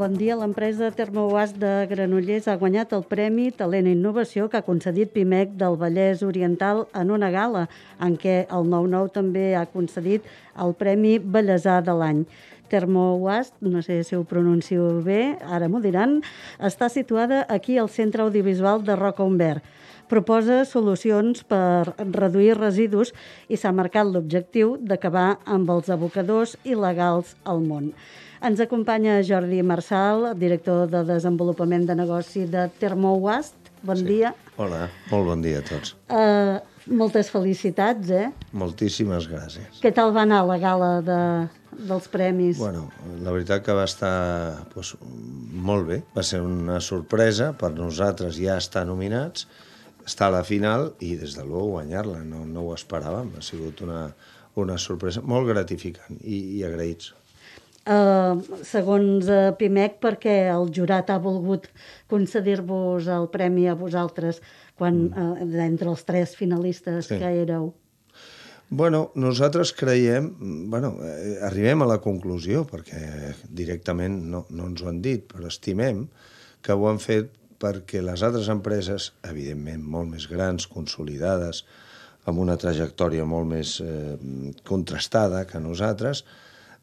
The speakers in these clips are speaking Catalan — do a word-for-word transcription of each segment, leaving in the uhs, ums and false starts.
Bon dia. L'empresa Termowas de Granollers ha guanyat el Premi Talent i Innovació que ha concedit Pimec del Vallès Oriental en una gala, en què el nou nou també ha concedit el Premi Bellesà de l'any. Termowas, no sé si ho pronuncio bé, ara m'ho diran, està situada aquí al Centre Audiovisual de Roca Umbert. Proposa solucions per reduir residus i s'ha marcat l'objectiu d'acabar amb els abocadors il·legals al món. Ens acompanya Jordi Marçal, director de Desenvolupament de Negoci de Termowas. Bon sí. dia. Hola, molt bon dia a tots. Uh, moltes felicitats, eh? Moltíssimes gràcies. Què tal va anar la gala de, dels premis? Bueno, la veritat que va estar pues, molt bé. Va ser una sorpresa per nosaltres ja estar nominats, estar a la final i, des de luego, guanyar-la. No, no ho esperàvem. Ha sigut una, una sorpresa molt gratificant i, i agraïts. Uh, segons uh, Pimec, perquè el jurat ha volgut concedir-vos el premi a vosaltres quan, uh, entre els tres finalistes sí. que éreu? Bueno, nosaltres creiem, bueno, eh, arribem a la conclusió, perquè directament no, no ens ho han dit, però estimem que ho han fet perquè les altres empreses, evidentment molt més grans, consolidades, amb una trajectòria molt més eh, contrastada que nosaltres,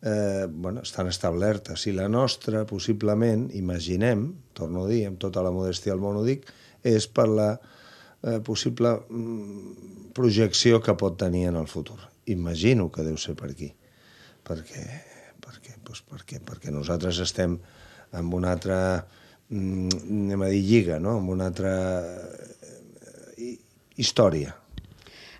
Eh, bueno, estan establertes. I la nostra, possiblement, imaginem, torno a dir, amb tota la modèstia del món ho dic, és per la eh, possible mm, projecció que pot tenir en el futur. Imagino que deu ser per aquí. Perquè, perquè, doncs perquè, perquè nosaltres estem en una altra, mm, anem a dir, lliga, no? En una altra eh, història.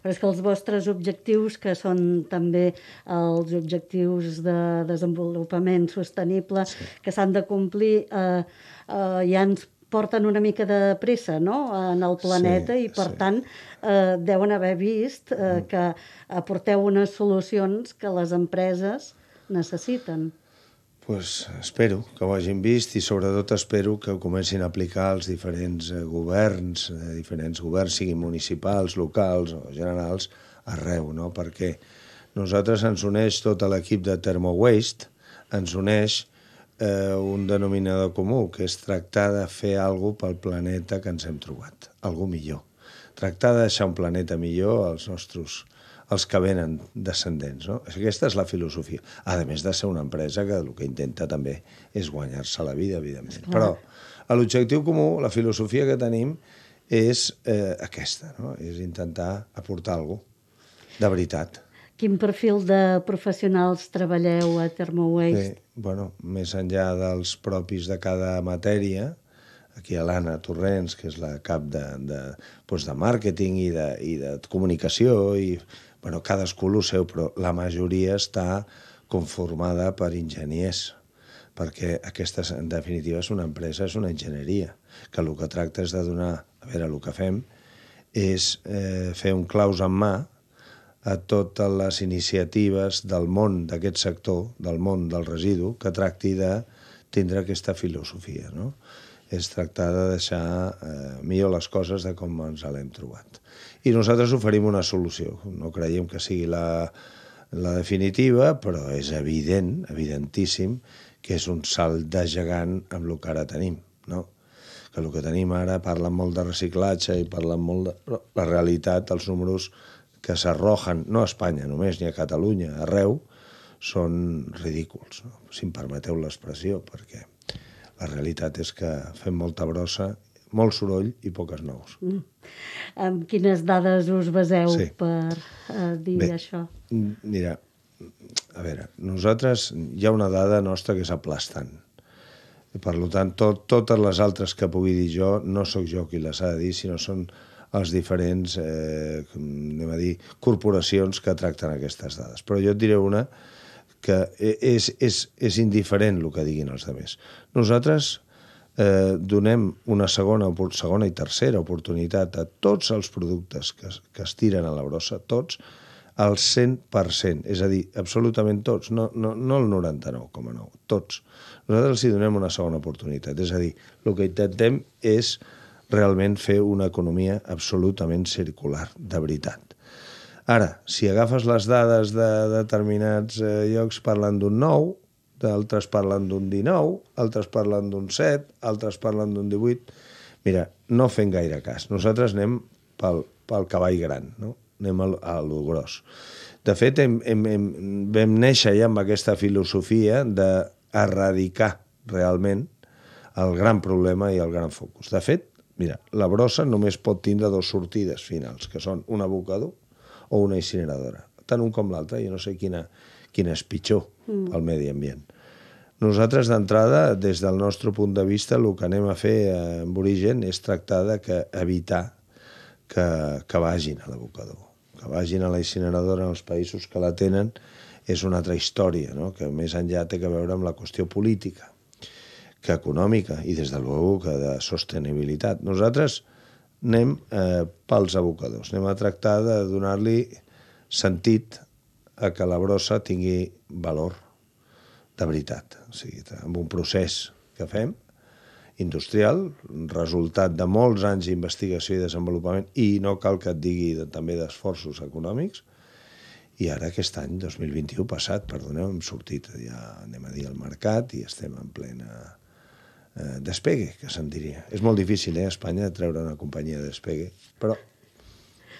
Però és que els vostres objectius, que són també els objectius de desenvolupament sostenible, sí. que s'han de complir, eh, eh, ja ens porten una mica de pressa, no?, en el planeta, sí, i per sí. tant eh, deuen haver vist eh, que aporteu unes solucions que les empreses necessiten. Pues espero que ho hagin vist i sobretot espero que ho comencin a aplicar els diferents governs, eh, diferents governs, siguin municipals, locals o generals, arreu, no? Perquè nosaltres ens uneix tot l'equip de Termowaste, ens uneix eh, un denominador comú, que és tractar de fer alguna cosa pel planeta que ens hem trobat, alguna millor. Tractar de deixar un planeta millor als nostres els que venen descendents, no? Aquesta és la filosofia. A més de ser una empresa que el que intenta també és guanyar-se la vida, evidentment. Però l'objectiu comú, la filosofia que tenim, és eh, aquesta, no? És intentar aportar alguna cosa de veritat. Quin perfil de professionals treballeu a Termowaste? Bé, bueno, més enllà dels propis de cada matèria, aquí a l'Anna Torrents, que és la cap de, de, doncs de màrqueting i de, i de comunicació, i bueno, cadascú el seu, però la majoria està conformada per enginyers, perquè aquesta, en definitiva, és una empresa, és una enginyeria, que el que tracta és de donar, a veure, el que fem és eh, fer un claus en mà a totes les iniciatives del món d'aquest sector, del món del residu, que tracti de tindre aquesta filosofia, no? És tractar de deixar eh, millor les coses de com ens l'hem trobat. I nosaltres oferim una solució. No creiem que sigui la, la definitiva, però és evident, evidentíssim, que és un salt de gegant amb el que ara tenim, no? Que el que tenim ara, parlen molt de reciclatge i parlen molt de... Però la realitat, els números que s'arrojen, no a Espanya només, ni a Catalunya, arreu, són ridículs, no? Si em permeteu l'expressió, perquè la realitat és que fem molta brossa, molt soroll i poques nous. Mm. Amb quines dades us baseu sí. per uh, dir Bé, això? Mira, a veure, nosaltres hi ha una dada nostra que és aplastant. Per tant, tot, totes les altres que pugui dir jo, no sóc jo qui les ha de dir, sinó són els diferents eh, anem a dir, corporacions que tracten aquestes dades. Però jo et diré una que és, és, és indiferent el que diguin els altres. Nosaltres eh, donem una segona, segona i tercera oportunitat a tots els productes que, que es tiren a la brossa, tots, al cent per cent, és a dir, absolutament tots, no, no, no el noranta-nou coma nou, tots. Nosaltres els donem una segona oportunitat, és a dir, el que intentem és realment fer una economia absolutament circular, de veritat. Ara, si agafes les dades de determinats eh, llocs parlant d'un nou, altres parlen d'un dinou, altres parlen d'un set, altres parlen d'un divuit. Mira, no fem gaire cas. Nosaltres anem pel, pel cavall gran, no? Anem a, a lo gros. De fet, hem, hem, hem, vam néixer ja amb aquesta filosofia d'erradicar realment el gran problema i el gran focus. De fet, mira, la brossa només pot tindre dues sortides finals, que són un abocador o una incineradora. Tant un com l'altre, jo no sé quina, quina és pitjor mm. al medi ambient. Nosaltres, d'entrada, des del nostre punt de vista, el que anem a fer amb Origen és tractar de que, evitar que, que vagin a l'abocador, que vagin a la incineradora en els països que la tenen, és una altra història, no? Que més enllà té que veure amb la qüestió política, que econòmica i, des de luego, que de sostenibilitat. Nosaltres anem eh, pels abocadors, anem a tractar de donar-li sentit a que la brossa tingui valor de veritat. O sigui, amb un procés que fem, industrial, resultat de molts anys d'investigació i desenvolupament, i no cal que et digui de, també d'esforços econòmics, i ara aquest any, dos mil vint-i-u passat, perdoneu, hem sortit, ja anem a dir, al mercat i estem en plena eh, despegue, que se'n diria. És molt difícil, eh, a Espanya, treure una companyia de despegue, però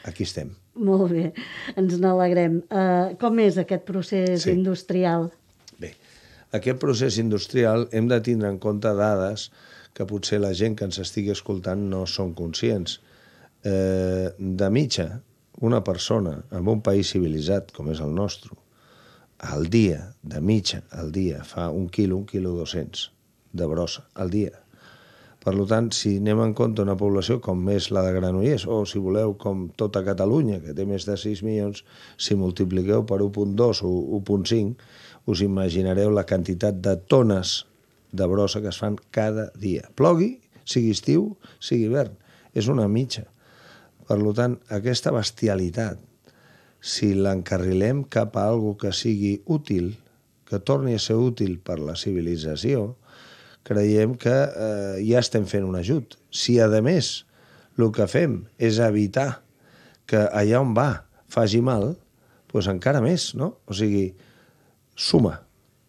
aquí estem. Molt bé, ens n'alegrem. Uh, com és aquest procés sí. industrial? Bé, aquest procés industrial hem de tindre en compte dades que potser la gent que ens estigui escoltant no són conscients. Eh, de mitja, una persona en un país civilitzat com és el nostre, al dia, de mitja, al dia, fa un quilo, un quilo dos-cents de brossa, al dia. Per tant, si anem en compte una població com és la de Granollers, o si voleu com tota Catalunya, que té més de sis milions, si multipliqueu per un coma dos o un coma cinc, us imaginareu la quantitat de tones de brossa que es fan cada dia. Plogui, sigui estiu, sigui hivern. És una mitja. Per tant, aquesta bestialitat, si l'encarrilem cap a algo que sigui útil, que torni a ser útil per la civilització, creiem que eh, ja estem fent un ajut. Si, a més, el que fem és evitar que allà on va faci mal, doncs encara més, no? O sigui, suma,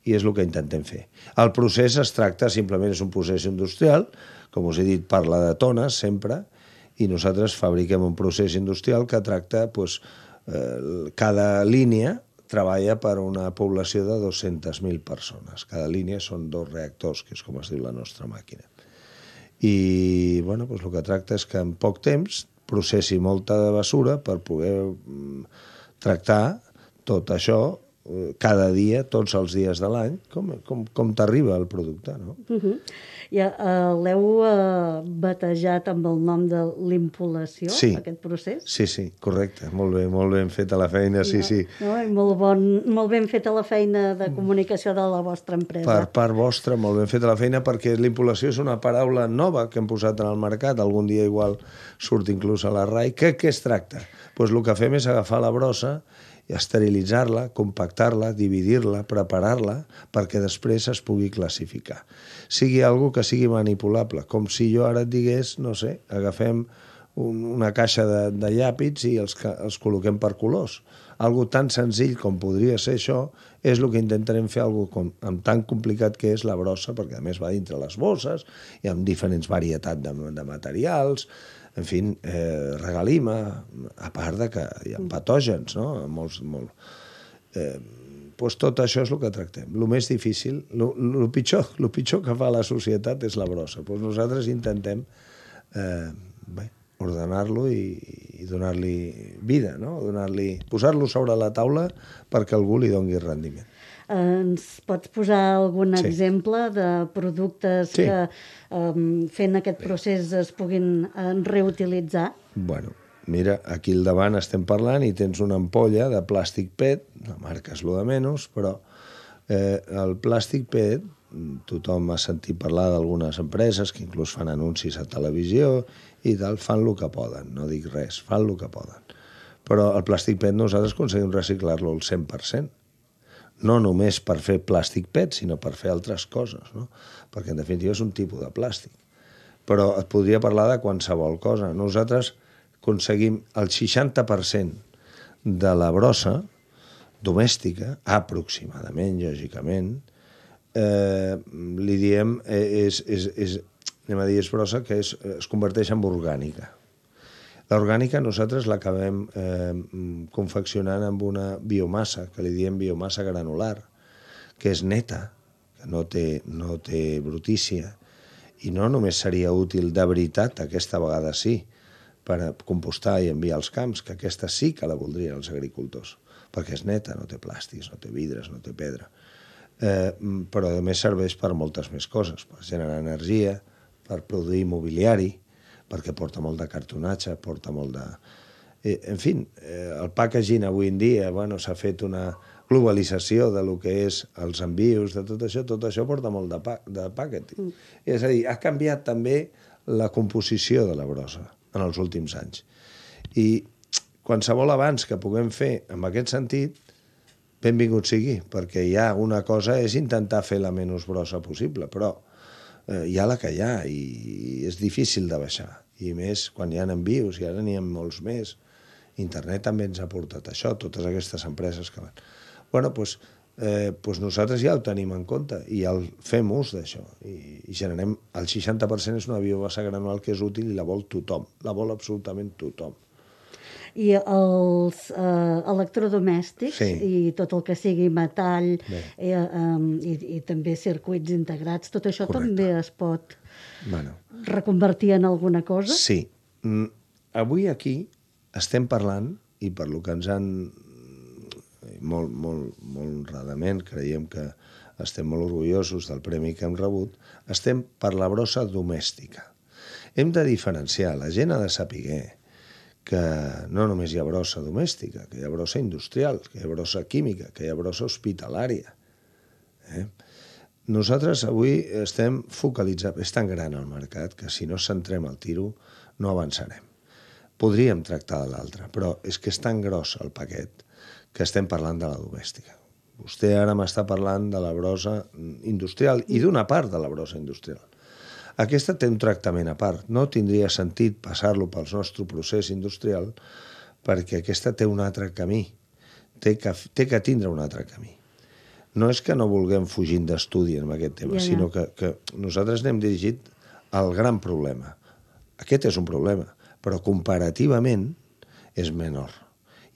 i és el que intentem fer. El procés es tracta, simplement és un procés industrial, com us he dit, parla de tones sempre, i nosaltres fabriquem un procés industrial que tracta, doncs, eh, cada línia treballa per una població de dues-centes mil persones. Cada línia són dos reactors, que és com es diu la nostra màquina. I, bueno, doncs el que tracta és que en poc temps processi molta bessura per poder mm, tractar tot això cada dia, tots els dies de l'any, com, com, com t'arriba el producte, no? Uh-huh. Ja uh, l'heu uh, batejat amb el nom de l'impolació, sí. aquest procés? Sí, sí, correcte. Molt bé, molt ben feta la feina, sí, no, sí. No, molt, bon, molt ben feta la feina de comunicació de la vostra empresa. Per part vostra, molt ben feta la feina, perquè l'impolació és una paraula nova que hem posat en el mercat, algun dia igual surt inclús a la R A I. Què, què es tracta? Doncs el que fem és agafar la brossa, esterilitzar-la, compactar-la, dividir-la, preparar-la, perquè després es pugui classificar. Sigui algo que sigui manipulable, com si jo ara et digués, no sé, agafem un, una caixa de, de llàpids i els, els col·loquem per colors. Algo tan senzill com podria ser això és el que intentarem fer, algo com, amb tan complicat que és la brossa, perquè a més va dintre les bosses i amb diferents varietats de, de materials, en fi, eh, regalima, a part de que hi ha patògens, no? Molts, molt. Eh, doncs tot això és el que tractem. El més difícil, el pitjor, lo pitjor que fa la societat és la brossa. Doncs nosaltres intentem eh, bé, ordenar-lo i, i donar-li vida, no? Donar-li, posar-lo sobre la taula perquè algú li doni rendiment. Ens pots posar algun sí. exemple de productes sí. que um, fent aquest procés es puguin uh, reutilitzar? Bueno, mira, aquí al davant estem parlant i tens una ampolla de plàstic P E T, la marca és lo de menys, però eh, el plàstic P E T, tothom ha sentit parlar d'algunes empreses que inclús fan anuncis a televisió i tal, fan el que poden, no dic res, fan el que poden. Però el plàstic P E T nosaltres aconseguim reciclar-lo al cent per cent. No només per fer plàstic P E T, sinó per fer altres coses, no? Perquè en definitiva és un tipus de plàstic. Però et podria parlar de qualsevol cosa. Nosaltres aconseguim el seixanta per cent de la brossa domèstica, aproximadament, lògicament, eh, li diem, eh, és, és, és, anem a dir, és brossa, que és, es converteix en orgànica. L'orgànica nosaltres l'acabem eh, confeccionant amb una biomassa, que li diem biomassa granular, que és neta, que no té, no té brutícia, i no només seria útil de veritat, aquesta vegada sí, per a compostar i enviar als camps, que aquesta sí que la voldrien els agricultors, perquè és neta, no té plàstics, no té vidres, no té pedra. Eh, però a més serveix per moltes més coses, per generar energia, per produir mobiliari, perquè porta molt de cartonatge, porta molt de... Eh, en fi, eh, el packaging avui en dia, bueno, s'ha fet una globalització de lo que és els envios, de tot això, tot això porta molt de, pa de packaging. Mm. És a dir, ha canviat també la composició de la brossa en els últims anys. I qualsevol avanç que puguem fer en aquest sentit, benvingut sigui, perquè hi ha una cosa, és intentar fer la menys brossa possible, però eh, hi ha la que hi ha i és difícil de baixar. I més quan hi ha envios, i ara n'hi ha molts més. Internet també ens ha portat això, totes aquestes empreses que van... Bueno, doncs, eh, doncs nosaltres ja ho tenim en compte i ja el fem ús d'això. I, i generem... El seixanta per cent és una biomassa granular que és útil i la vol tothom. La vol absolutament tothom. I els eh, electrodomèstics sí. i tot el que sigui metall eh, um, i, i també circuits integrats, tot això Correcte. També es pot bueno. reconvertir en alguna cosa? Sí. Mm, avui aquí estem parlant, i per lo que ens han molt, molt, molt honradament, creiem que estem molt orgullosos del premi que hem rebut, estem per la brossa domèstica. Hem de diferenciar, la gent ha de saber que no només hi ha brossa domèstica, que hi ha brossa industrial, que hi ha brossa química, que hi ha brossa hospitalària. Eh? Nosaltres avui estem focalitzats, és tan gran el mercat que si no centrem el tiro no avançarem. Podríem tractar de l'altre, però és que és tan gros el paquet que estem parlant de la domèstica. Vostè ara m'està parlant de la brossa industrial i d'una part de la brossa industrial. Aquesta té un tractament a part. No tindria sentit passar-lo pel nostre procés industrial perquè aquesta té un altre camí. Té que, té que tindre un altre camí. No és que no vulguem fugir d'estudi en aquest tema, ja, ja. sinó que, que nosaltres n'hem dirigit al gran problema. Aquest és un problema, però comparativament és menor.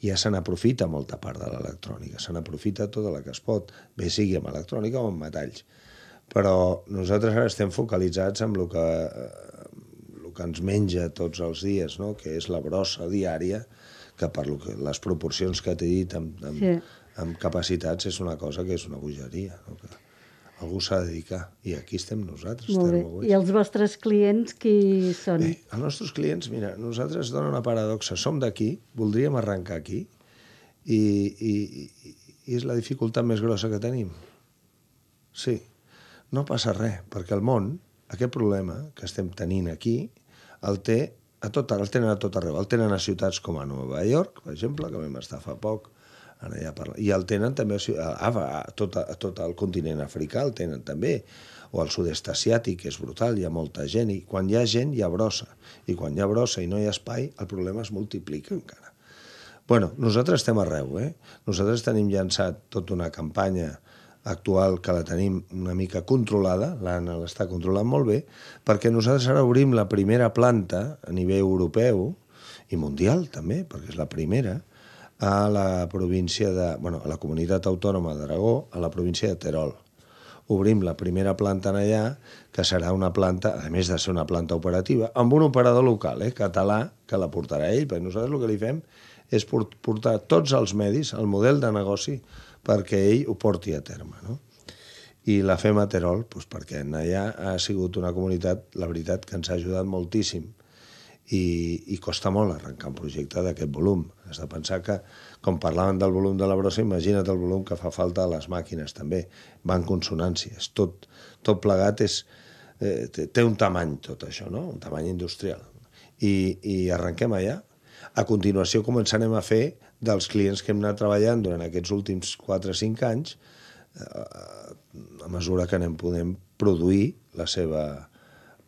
Ja se n'aprofita molta part de l'electrònica, se n'aprofita tota la que es pot, bé sigui amb electrònica o amb metalls. Però nosaltres ara estem focalitzats en el que, el que ens menja tots els dies, no? Que és la brossa diària, que per lo que, les proporcions que t'he dit amb, amb, sí. amb capacitats és una cosa que és una bogeria, no? Que algú s'ha de dedicar, i aquí estem nosaltres. Molt bé. I els vostres clients qui són? Bé, els nostres clients, mira, nosaltres donen una paradoxa, som d'aquí, voldríem arrencar aquí, i, i, i és la dificultat més grossa que tenim. Sí. No passa res, perquè el món, aquest problema que estem tenint aquí, el, té a tot, el tenen a tot arreu. El tenen a ciutats com a Nova York, per exemple, que vam estar fa poc, ara ja parla, i el tenen també a, a, a, tot, a tot el continent africà, el tenen també, o al sud-est asiàtic, que és brutal, hi ha molta gent, i quan hi ha gent hi ha brossa, i quan hi ha brossa i no hi ha espai, el problema es multiplica encara. Bueno, nosaltres estem arreu, eh? Nosaltres tenim llançat tota una campanya actual que la tenim una mica controlada, l'Anna l'està controlant molt bé, perquè nosaltres ara obrim la primera planta a nivell europeu i mundial també, perquè és la primera, a la província de, bueno, a la comunitat autònoma d'Aragó, a la província de Terol. Obrim la primera planta en allà, que serà una planta, a més de ser una planta operativa, amb un operador local, eh, català, que la portarà ell, perquè nosaltres el que li fem és portar tots els medis, el model de negoci, perquè ell ho porti a terme, no? I la fem a Terol, doncs perquè allà ha sigut una comunitat, la veritat, que ens ha ajudat moltíssim i, i costa molt arrencar un projecte d'aquest volum. Has de pensar que, com parlaven del volum de la brossa, imagina't el volum que fa falta a les màquines també. Va en consonància, és tot, tot plegat, és, eh, té un tamany tot això, no? Un tamany industrial. I, i arrenquem allà. A continuació començarem a fer dels clients que hem anat treballant durant aquests últims quatre o cinc anys, eh, a mesura que anem podem produir la seva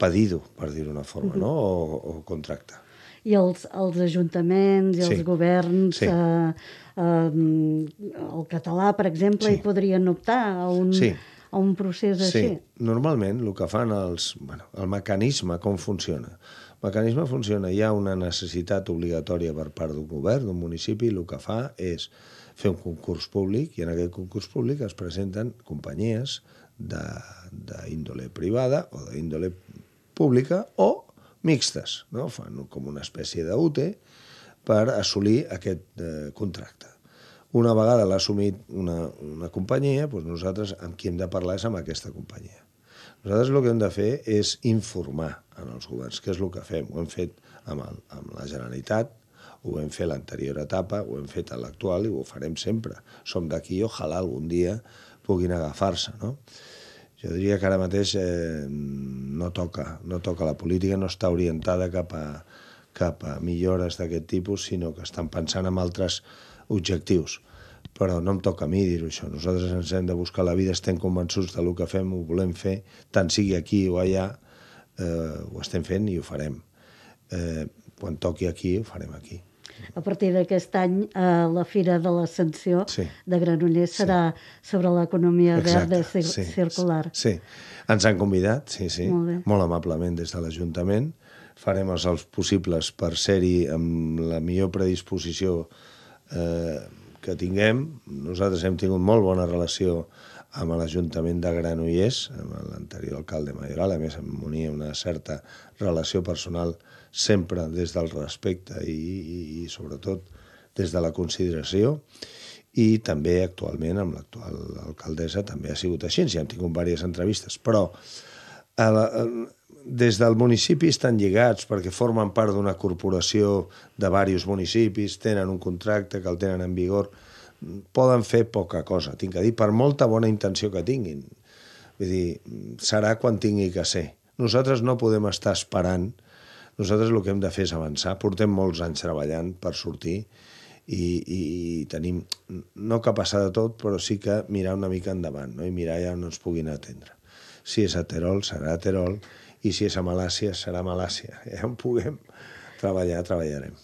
pedido, per dir-ho d'una forma, uh-huh. no? o, o contracte. I els, els ajuntaments i els sí. governs, sí. eh, eh, el català, per exemple, sí. hi podrien optar a un, sí. a un procés així? Sí, normalment el que fan els... Bueno, el mecanisme, com funciona? El mecanisme funciona, hi ha una necessitat obligatòria per part d'un govern, d'un municipi, i el que fa és fer un concurs públic, i en aquest concurs públic es presenten companyies d'índole privada o d'índole pública o mixtes, no? Fan com una espècie d'U T per assolir aquest eh, contracte. Una vegada l'ha assumit una, una companyia, doncs nosaltres amb qui hem de parlar és amb aquesta companyia. Nosaltres el que hem de fer és informar en els governs, que és el que fem. Ho hem fet amb, el, amb la Generalitat, ho hem fet l'anterior etapa, ho hem fet a l'actual i ho farem sempre. Som d'aquí i ojalà algun dia puguin agafar-se, no? Jo diria que ara mateix eh, no toca, no toca. La política no està orientada cap a, cap a millores d'aquest tipus, sinó que estan pensant en altres objectius. Però no em toca a mi dir-ho, això. Nosaltres ens hem de buscar la vida, estem convençuts del que fem, ho volem fer, tant sigui aquí o allà, eh, ho estem fent i ho farem. Eh, quan toqui aquí, ho farem aquí. A partir d'aquest any, eh, la Fira de l'Ascensió sí. de Granollers serà sí. sobre l'economia verda i sí. circular. Sí, ens han convidat, sí, sí, molt, molt amablement des de l'Ajuntament. Farem els, els possibles per ser-hi amb la millor predisposició eh, que tinguem. Nosaltres hem tingut molt bona relació amb l'Ajuntament de Granollers, amb l'anterior alcalde Mayoral, a més em unia una certa relació personal sempre des del respecte i, i, i sobretot des de la consideració, i també actualment amb l'actual alcaldessa també ha sigut així, ja hem tingut diverses entrevistes, però a la, a, des del municipi estan lligats perquè formen part d'una corporació de diversos municipis, tenen un contracte que el tenen en vigor, poden fer poca cosa, tinc que dir, per molta bona intenció que tinguin. Vull dir, serà quan tingui que ser. Nosaltres no podem estar esperant, nosaltres el que hem de fer és avançar, portem molts anys treballant per sortir i, i, i tenim, no que passar de tot, però sí que mirar una mica endavant, no? I mirar ja on ens puguin atendre. Si és a Terol, serà a Terol, i si és a Malàcia, serà a Malàcia. Ja on puguem treballar, treballarem.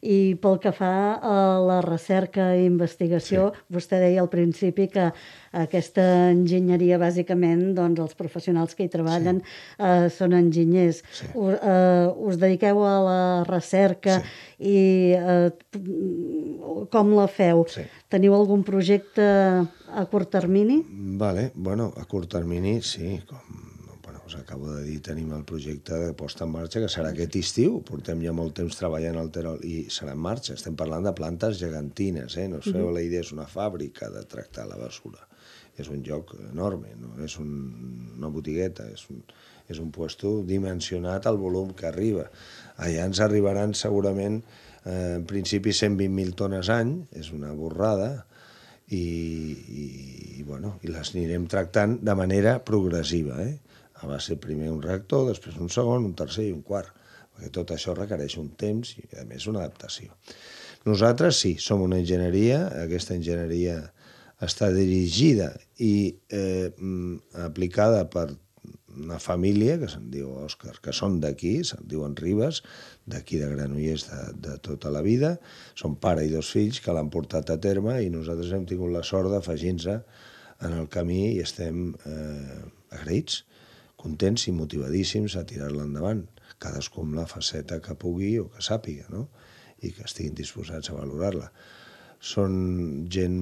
I pel que fa a la recerca i investigació, sí. vostè deia al principi que aquesta enginyeria, bàsicament, doncs els professionals que hi treballen sí. eh, són enginyers. Sí. Us, eh, us dediqueu a la recerca sí. i eh, com la feu? Sí. Teniu algun projecte a curt termini? Vale, bueno, a curt termini sí, com us acabo de dir, tenim el projecte de posta en marxa, que serà aquest estiu. Portem ja molt temps treballant al Terol i serà en marxa. Estem parlant de plantes gegantines, eh? No us feu la idea, és una fàbrica de tractar la basura. És un lloc enorme, no és un, una botigueta, és un, és un puesto dimensionat al volum que arriba. Allà ens arribaran segurament, eh, en principi, cent vint mil tones any, és una borrada, i, i, i, bueno, i les anirem tractant de manera progressiva, eh? Va ser primer un reactor, després un segon, un tercer i un quart, perquè tot això requereix un temps i, a més, una adaptació. Nosaltres sí, som una enginyeria, aquesta enginyeria està dirigida i eh, aplicada per una família que se'n diu Òscar, que són d'aquí, se'n diuen Ribes, d'aquí de Granollers de, de tota la vida, són pare i dos fills que l'han portat a terme i nosaltres hem tingut la sort d'afegir-nos en el camí i estem eh, agraïts, contents i motivadíssims a tirar-la endavant, cadascú amb la faceta que pugui o que sàpiga, no? I que estiguin disposats a valorar-la. Són gent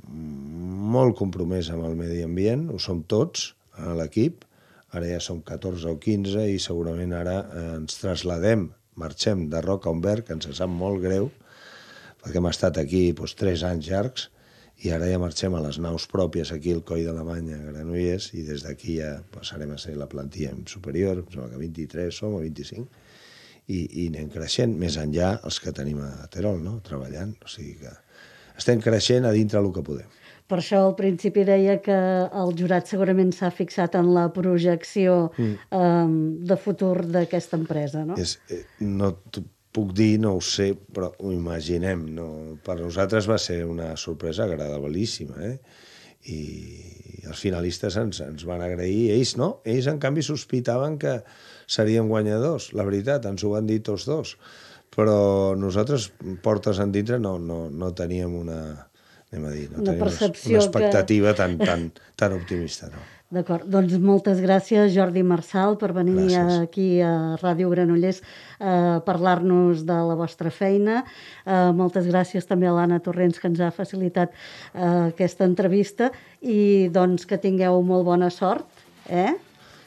molt compromesa amb el medi ambient, ho som tots a l'equip, ara ja som catorze o quinze i segurament ara ens trasladem, marxem de Roca a Humbert, que ens sap molt greu, perquè hem estat aquí doncs, tres anys llargs, i ara ja marxem a les naus pròpies aquí al Coll d'Alemanya, a Granollers, i des d'aquí ja passarem a ser la plantilla superior, em sembla que vint-i-tres som o vint-i-cinc, i, i anem creixent, més enllà els que tenim a Terol, no? Treballant, o sigui que estem creixent a dintre el que podem. Per això al principi deia que el jurat segurament s'ha fixat en la projecció mm. eh, de futur d'aquesta empresa, no? És, eh, no puc dir, no ho sé, però ho imaginem. No? Per nosaltres va ser una sorpresa agradabilíssima, eh? I els finalistes ens, ens van agrair. Ells no, ells en canvi sospitaven que seríem guanyadors. La veritat, ens ho van dir tots dos. Però nosaltres, portes endintre, no, no, no teníem una, anem a dir. No Una tenim percepció una expectativa que... tan, tan, tan optimista, no? D'acord, doncs moltes gràcies, Jordi Marçal, per venir Gràcies. aquí a Ràdio Granollers a parlar-nos de la vostra feina. Uh, moltes gràcies també a l'Anna Torrents, que ens ha facilitat uh, aquesta entrevista, i doncs que tingueu molt bona sort, eh?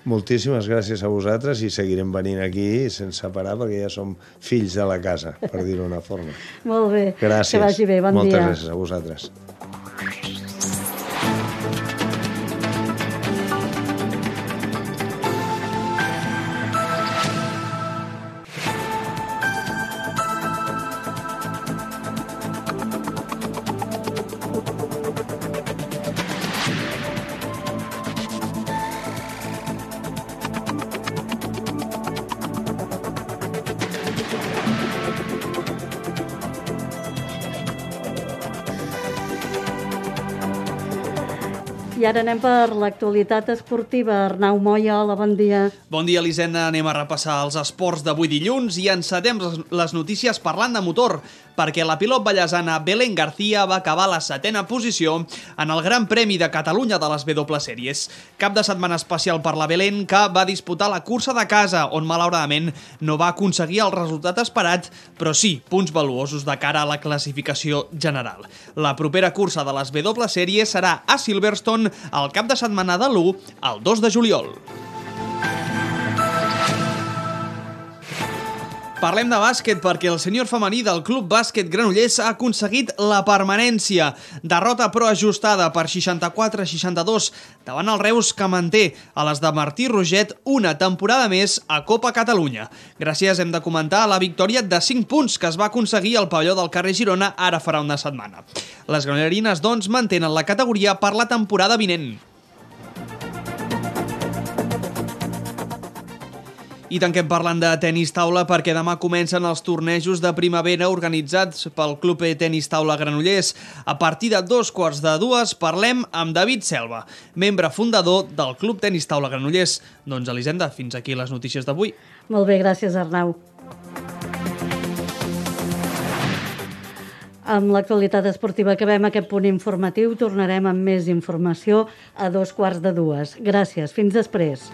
Moltíssimes gràcies a vosaltres i seguirem venint aquí sense parar perquè ja som fills de la casa, per dir-ho d'una forma. Molt bé, gràcies. Que vagi bé, bon Moltes dia. Moltes gràcies a vosaltres. I ara anem per l'actualitat esportiva. Arnau Moya, hola, bon dia. Bon dia, Elisenda. Anem a repassar els esports d'avui dilluns i encetem les notícies parlant de motor, perquè la pilot ballesana Belén García va acabar a la setena posició en el Gran Premi de Catalunya de les W Series. Cap de setmana especial per la Belén, que va disputar la cursa de casa, on malauradament no va aconseguir el resultat esperat, però sí punts valuosos de cara a la classificació general. La propera cursa de les W Series serà a Silverstone el cap de setmana de l'u al dos de juliol. Parlem de bàsquet perquè el sènior femení del Club Bàsquet Granollers ha aconseguit la permanència. Derrota però ajustada per seixanta-quatre a seixanta-dos davant el Reus, que manté a les de Martí Roget una temporada més a Copa Catalunya. Gràcies, hem de comentar, a la victòria de cinc punts que es va aconseguir al pavelló del carrer Girona ara farà una setmana. Les granollerines, doncs, mantenen la categoria per la temporada vinent. I tanquem parlant de tenis taula perquè demà comencen els tornejos de primavera organitzats pel Club Tenis Taula Granollers. A partir de dos quarts de dues parlem amb David Selva, membre fundador del Club Tenis Taula Granollers. Doncs, Elisenda, fins aquí les notícies d'avui. Molt bé, gràcies, Arnau. Amb l'actualitat esportiva acabem aquest punt informatiu. Tornarem amb més informació a dos quarts de dues. Gràcies. Fins després.